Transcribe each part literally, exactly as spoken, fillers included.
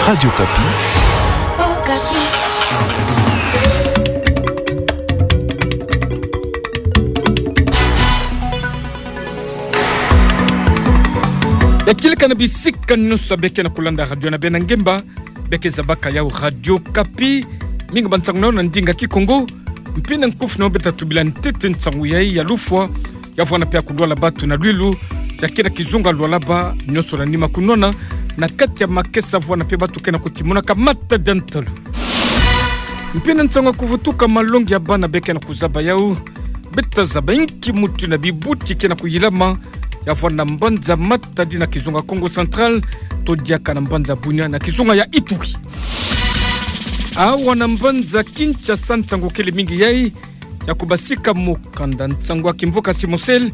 Radio Okapi. Ya kieleka na bisika nyonso beke na kulanda radio na beno na ngemba, beke zabaka yawu Radio Okapi. Mingi ba nsangu na ndinga Kikongo. Mpe na nkufi na beno, beto tubila ntete nsangu yayi ya lufwa, ya vwanda mpe ya kulwala batu na lwilu, ya kena kizunga lwalaba nyonso na nima kunwana, na kati ya makesa vwanda mpe batu kena kutimonaka matadi ya ntalu. Mpe na nsangu ya kuvutuka malongi ya bana beke na kuzaba yawu, beto tazaba inki mutu na bibuti kena kuyilama, ya vwanda na mbanza Matadi na kizunga Kongo Central, to diaka na mbanza Bunia na kizunga ya Ituri. Awa na mbanza Kinshasa nsangu kele mingi yayi, ya kubasika mukanda nsangu ya kimvuka Simosel,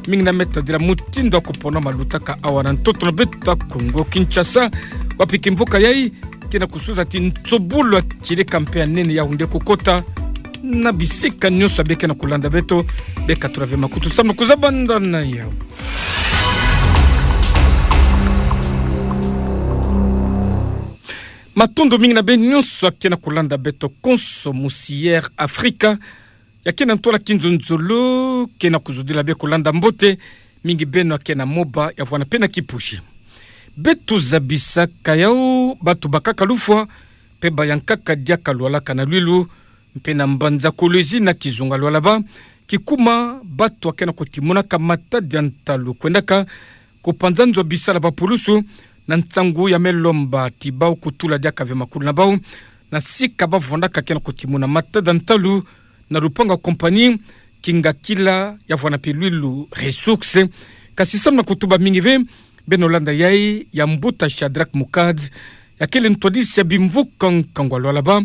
mingi na me tadila mutindu ya kupona malutaka awa na ntoto na beto ya Kongo Kinshasa, wapi kimvuka yayi kena kusuza ti nsobolo ya kieleka mpe ya nene ya hunde kukota na bisika nyonso beke na kulanda beto, beka tula ve makutu samu na kuzabanda na yawu. Matondo mingi na beno nyonso kena kulanda beto konso musi Air Africa, ya kena ntwala kinzonzolo, kena kuzodila beno kulanda mbote, mingi beno kena moba, ya vwanda mpe na kipushi. Beto zabisaka yawu, batu bakaka lufwa, mpe bayankaka diaka lwalaka na lwilu, mpe na mbanza Kolwezi na kizunga lwalaba, kikuma batu kena kutimonaka matadi ya ntalu kwendaka kupanza nzo ya bisala ya bapulusu, na nsangu ya me lomba ti bawu kutula diaka ve makulu na bawu, na sika bavwandaka kena kutimona matadi ya ntalu, na lupangu ya compagnie Kingakila ya vwanda mpe Lwilu Ressources. Kasi samu na kutuba mingi ve, beno landa yayi ya mbuta Shadrack Mukad, ya kele ntwadisi ya bimvuka nkangu ya lwalaba,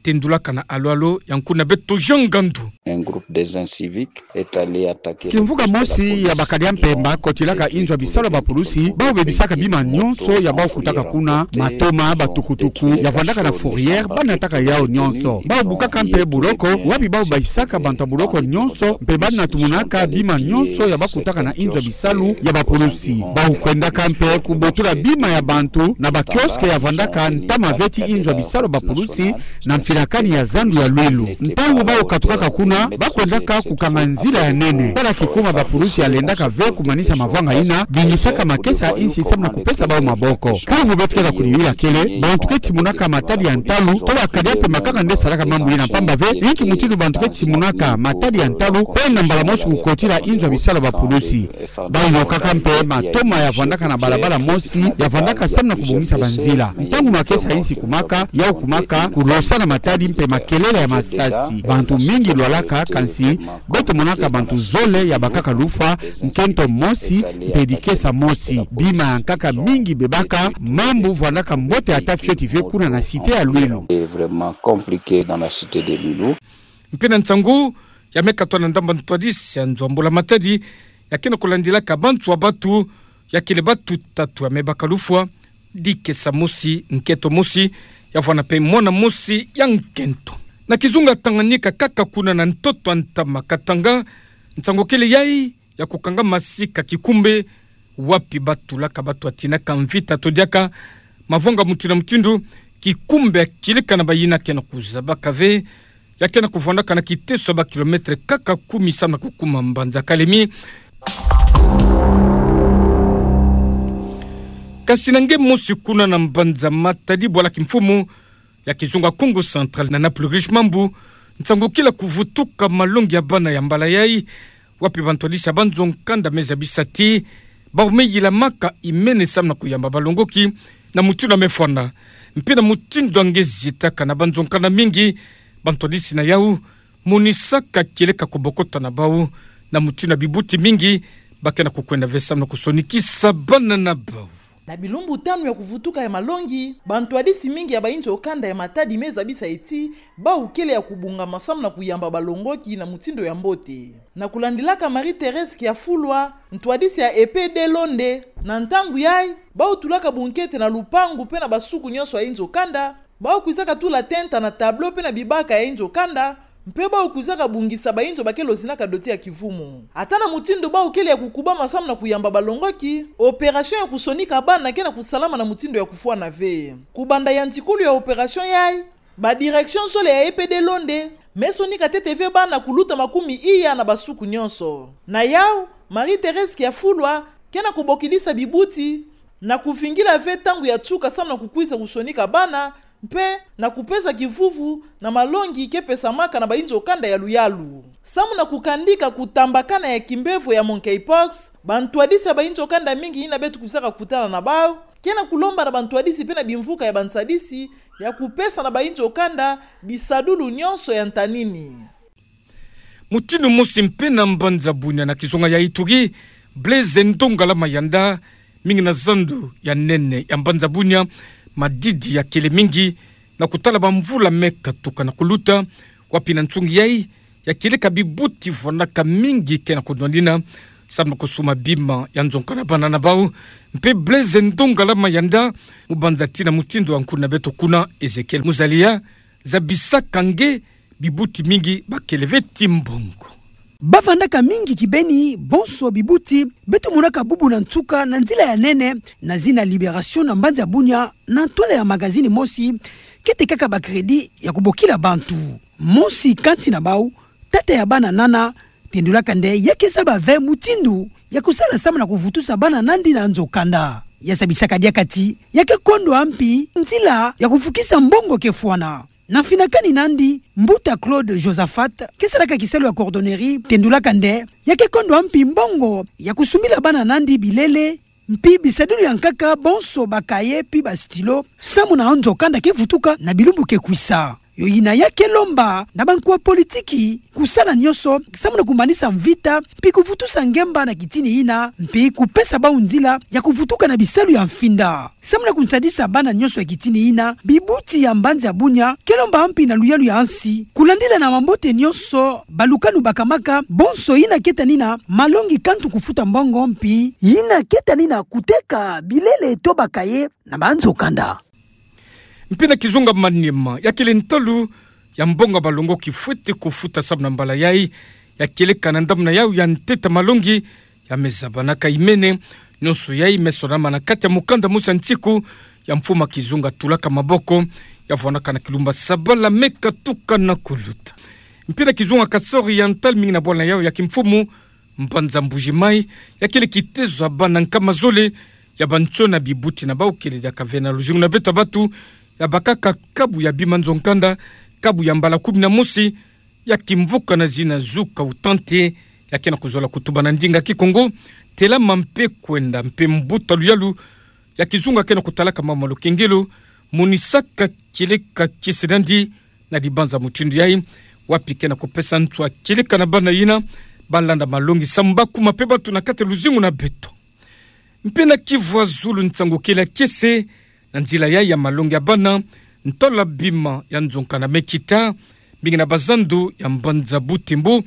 tendulaka na alwalo ya nkuna beto Jean Ngandu. Un groupe des inciviques est allé attaquer le poste de la police. Kimvuka mosi ya bakadi ya mpemba kotilaka inzo ya bisalu ya bapulusi, bawu bebisaka bima nyonso ya bawu kutaka kuna, matoma, batukutuku ya vwandaka na fourrière, banataka yawu nyonso. Bawu bukaka mpe boloko, wapi bawu bayisaka bantu ya boloko nyonso, mpe banatumunaka bima nyonso ya bawu kutaka na inzo ya bisalu ya bapulusi. Bawu kwendaka mpe kubotula bima ya bantu na ba kiosque ya vwandaka ntama ve ti inzo ya bisalu ya bapulusi, na mfilakani ya zandu ya Lwilu. Ntangu bawu katukaka kuna, bakwendaka kukanga nzila ya nene. Tala kikuma bapulusi ya lendaka ve kumanisa mavwanga yina, bingisaka makesa ya insi samu na kupesa bawu maboko. Kiuvu beto kena kudiyula kele, bantu ke timonaka matadi ya ntalu, to bakadi ya mpemba kaka nde salaka mambu yina, mpamba ve, inki mutindu bantu ke timonaka matadi ya ntalu, kwenda mbala mosi kukotila inzo ya bisalu ya bapulusi. Bawu yokaka mpe matoma ya vwandaka na balabala mosi, ya vwandaka samu na kubongisa banzila. Ntangu makesa ya insi kumaka, yawu kumaka, kulosa na matadi mpe makelele ya masasi. Bantu mingi lwalaka, kansi beto monaka bantu zole ya bakaka lufwa, nkento mosi, mpe dikesa mosi. Bima ya nkaka mingi bebaka, mambu vwandaka mbote ata fioti ve kuna na cité ya Lwilu. C'est vraiment compliqué dans la cité de Lwilu. Mpe na nsangu ya me katwa na ndambu ya ntwadisi ya nzo ya mbula-matadi, ya kena kulandilaka banzo ya batu, ya kele batu tatu ya me baka lufwa, dikesa mosi, nkento mosi, ya vwanda mpe mwana mosi ya nkento. Na kizunga Tanganyika kaka kuna na ntoto ya ntama Katanga, nsangu kele yayi, ya kukanga masika kikumbe, wapi batulaka batu ya tinaka mvita to diaka mavwanga mutindu na mutindu, kikumbe ya kieleka na bayina kena kuzabaka ve, ya kena kuvwandaka na kiteso ya ba kilomètre kaka kumi samu na kukuma mbanza Kalemi. Kasi na nge mosi kuna na mbanza Matadi, bwala kimfumu ya kizunga Kongo Central na Naples Riche Mambu, nsangu kele kuvutuka malongi ya bana ya mbala yayi, wapi bantwadisi ya banzo-nkanda me zabisa ti bawu me yilamaka imene samu na kuyamba balongoki na mutindu ya me fwana. Mpe na mutindu ya nge zitaka na banzo-nkanda mingi, bantwadisi na yawu monisaka kieleka kubokota na bawu na mutindu ya bibuti mingi, ba kena kukwenda ve samu na kusonikisa bana na bawu. Na bilumbu tanu ya kuvutuka ya malongi, bantwadisi mingi ya bainzo-kanda ya Matadi me zabisa ti bawu kele ya kubongama samu na kuyamba balongoki na mutindu ya mbote. Na kulandilaka Marie-Thérèse Kiafulwa, ntwadisi ya E P D Londe, na ntangu yayi, bawu tulaka bunkete na lupangu mpe na basuku nyonso ya inzo-kanda, bawu kwizaka tula tenta na tableau mpe na bibaka ya inzo-kanda, mpe bau kuzaka bungisa bainzo bakele ozinaka doti ya kivumu. Ata na mutindu bau kele ya kukubama samu na kuyamba balongoki, opération ya kusonika bana ke na kusalama na mutindu ya kufwana ve. Kubanda yantikulu ya opération yayi, ba direction zole ya E P D Londe me sonika ntete ve bana kuluta makumi iya na basuku nyonso. Na yau, Marie-Thérèse Kiafulwa ke na kubokidisa bibuti na kuvingila ve ntangu ya nsuka samu na kukwiza kusonika bana, mpe na kupesa kivuvu na malongi ke pesamaka na bainzo kanda ya luyalu. Samu na kukandika kutambakana ya kimbevo ya monkeypox, bantwadisi ya bainzo kanda mingi yina beto kuzaka kutana na bau ke na kulomba na bantwadisi mpe na bimvuka ya bansadisi ya kupesa na bainzo kanda bisadulu nyonso ya ntanini. Mutindu mosi mpe na mbanza Bunia na kizunga ya Ituri, Blaise Ndongala Mayanda, mingi na zandu ya nene ya mbanza Bunia, madidi yakele mingi na kutala bamvula me katuka na kuluta, wapi na nsungi yayi ya kieleka bibuti vwanaka mingi ke na kunwanina samu na kusuma bima ya nzonka na bana na bau. Mpe Blaise Ndongala Mayanda, mubanza tina mutindu wa nkulu na beto kuna, Ezekiel Muzalia, zabisaka nge bibuti mingi bakele ve ti mbongo. Bavandaka mingi kibeni bonso bibuti beto monaka bubu na nsuka na nzila ya nene, na zina Libération na mbanza Bunia, na ntwala ya magazine mosi, kete kaka ba crédit ya kubokila bantu. Mosi kati na bau, tata ya bana nana, tendulaka nde ya ke zaba ve mutindu ya kusala samu na kuvutusa bana nandi na nzo kanda. Ya zabisaka diaka ti ya ke kondwa mpi nzila ya kufukisa mbongo ke fwana. Na mfinakani nandi, mbuta Claude Josaphat, ke salaka kisalu ya coordonnerie, tendulaka nde ya ke kondwa mpi mbongo ya kusumbila bana nandi bilele, mpi bisadulu ya nkaka, bonso ba cahier mpi ba stylo, samu na nzo kanda ke vutuka na bilumbu ke kwisa. Yo yina ya ke lomba na bankwa politiki kusala nyonso samu na kumanisa mvita, mpi kuvutusa ngemba na kitini yina, mpi kupesa bau nzila ya kuvutuka na bisalu ya mfinda. Samu na kunsadisa bana nyonso ya kitini yina, bibuti ya mbanza Bunia ke lomba mpi na luyalu ya nsi kulandila na mambote nyonso balukanu bakamaka, bonso yina ke tanina malongi kantu kufuta mbongo, mpi yina ke tanina kuteka bilele to ba cahier na banzo kanda. Mpi na kizunga Maniema, ya kele ntalu ya mbongo ya balongoki fwete kufuta samu na mbala yayi, ya kieleka na ndamuna yawu ya ntete malongi ya me zabanaka imene. Nyonso yayi me sonama na kati ya mukanda mosi ya nsiku ya mfumu ya kizunga tulaka maboko, ya vwanaka na kilumba sabala me katuka na kuluta. Mpi na kizunga Kasaï Oriental, mingi na bwala na yawu ya kimfumu, mbanza Mbuji-Mayi, ya kele kitezo ya bana nkama zole ya bantsona bibuti na bau kele diaka ve na luzingu na beto bantu, ya bakaka kabu ya bima nzo kanda, kabu ya mbala kumi na mosi, ya kimvuka na zina Zuka Utante, ya ke na kuzola kutuba na ndinga Kikongo, Telama mpe kwenda. Mpe mbuta luyalu ya kizunga ke na kutalaka mama Lukengelo, monisaka kieleka kiese nandi na dibanza mutindu yayi, wapi ke na kupesa nswa kieleka na bana yina balanda malongi samu ba kuma mpe bantu na kati ya luzingu na beto. Mpe na Kivu ya zulu, nsangu kele ya kiese na nzila yayi ya malongi ya bana, ntalu ya bima ya nzo kanda me kita, mingi na bazandu ya mbanza Butembo.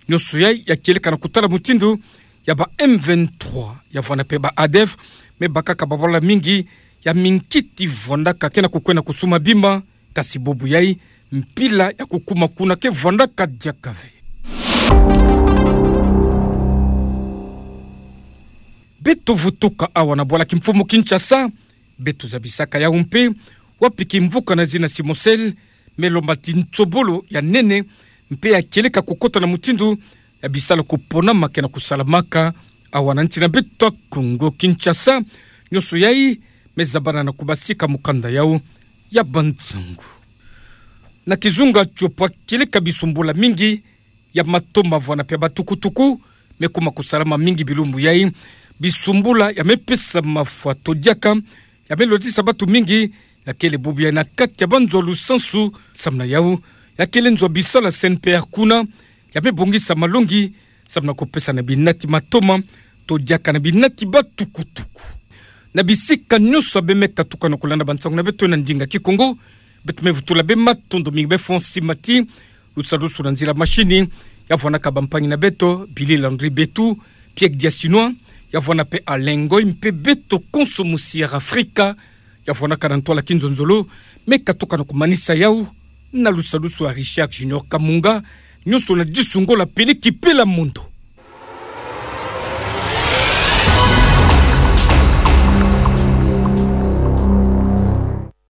Nyonso yayi ya kieleka na kutala mutindu ya ba M vingt-trois, ya vwanda mpe ba ADF, me bakaka babwala mingi ya minkiti vwandaka ke na kukwenda kusuma bima, kasi bubu yayi mpila ya kukuma kuna ke vwandaka diaka ve. Beto vutuka awa na bwala kimfumu Kinshasa, beto zabisaka yawu mpe, wapi kimvuka na zina Simosel me lomba ti nsobolo ya nene, mpe ya kieleka kukota na mutindu ya bisalu kuponama ke na kusalamaka awa na nsi na beto ya Kongo Kinshasa. Nyonso yayi me zabana na kubasika mukanda yawu ya bansangu. Na kizunga Tshopo, kieleka bisumbula mingi ya matoma vwanda mpe ya batukutuku me kuma kusalama mingi bilumbu yayi. Bisumbula ya me pesa mafwa to diaka, ya me lotisa bantu mingi, ya kele bubu yayi na kati ya banzo ya lusansu. Samu na yawu, ya kele nzo ya bisalu ya C N P R kuna, ya me bongisa malongi samu na kupesa na binati matoma to diaka na binati batukutuku. Na bisika nyonso ya bima me katuka na kulanda bansangu na beto na ndinga Kikongo, beto me vutula bima matondo mingi be fonsi mati lusalusu na nzila mashini, ya vwanaka bampangi na beto, Billy Landry Betu, Pierre Diasinois, ya vwanda mpe Alain Ngoy, mpe beto konso mu Sierra Africa, ya vwanaka na ntwala kinzonzolo, me katuka na kumanisa yawu Na lusalusu a Richard Junior Kamunga, nyonso na disu ngola pele kipela mondo.